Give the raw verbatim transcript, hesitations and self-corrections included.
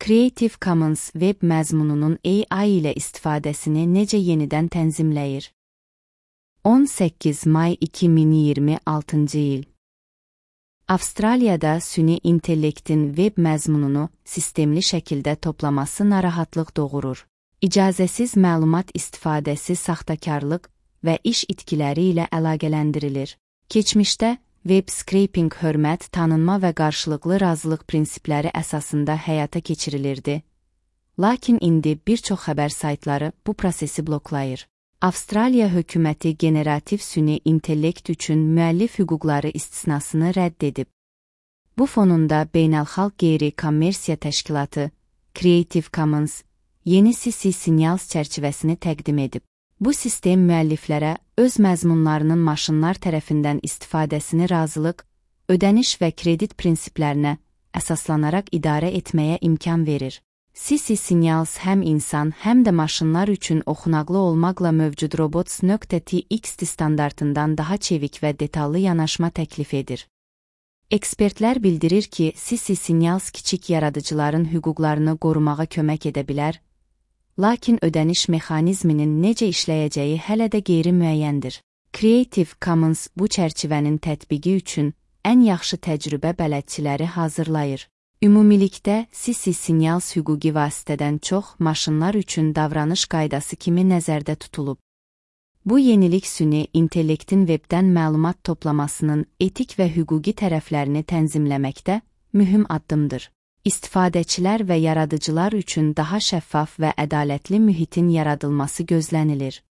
Creative Commons web məzmununun A I ilə istifadəsini necə yenidən tənzimləyir? on səkkiz may iki min iyirmi altıncı il. Avstraliyada süni intellektin web məzmununu sistemli şəkildə toplaması narahatlıq doğurur. İcazəsiz məlumat istifadəsi saxtakarlıq və iş itkiləri ilə əlaqələndirilir. Keçmişdə web scraping hörmət, tanınma və qarşılıqlı razılıq prinsipləri əsasında həyata keçirilirdi. Lakin indi bir çox xəbər saytları bu prosesi bloklayır. Avstraliya hökuməti generativ süni intellekt üçün müəllif hüquqları istisnasını rədd edib. Bu fonunda beynəlxalq qeyri-kommersiya təşkilatı Creative Commons yeni C C Signals çərçivəsini təqdim edib. Bu sistem müəlliflərə öz məzmunlarının maşınlar tərəfindən istifadəsini razılıq, ödəniş və kredit prinsiplərinə əsaslanaraq idarə etməyə imkan verir. C C Signals həm insan, həm də maşınlar üçün oxunaqlı olmaqla mövcud robots nöqtə t x t standartından daha çevik və detallı yanaşma təklif edir. Ekspertlər bildirir ki, C C Signals kiçik yaradıcıların hüquqlarını qorumağa kömək edə bilər, lakin ödəniş mexanizminin necə işləyəcəyi hələ də qeyri-müəyyəndir. Creative Commons bu çərçivənin tətbiqi üçün ən yaxşı təcrübə bələdçiləri hazırlayır. Ümumilikdə C C Signals hüquqi vasitədən çox maşınlar üçün davranış qaydası kimi nəzərdə tutulub. Bu yenilik süni intellektin webdən məlumat toplamasının etik və hüquqi tərəflərini tənzimləməkdə mühüm addımdır. İstifadəçilər və yaradıcılar üçün daha şəffaf və ədalətli mühitin yaradılması gözlənilir.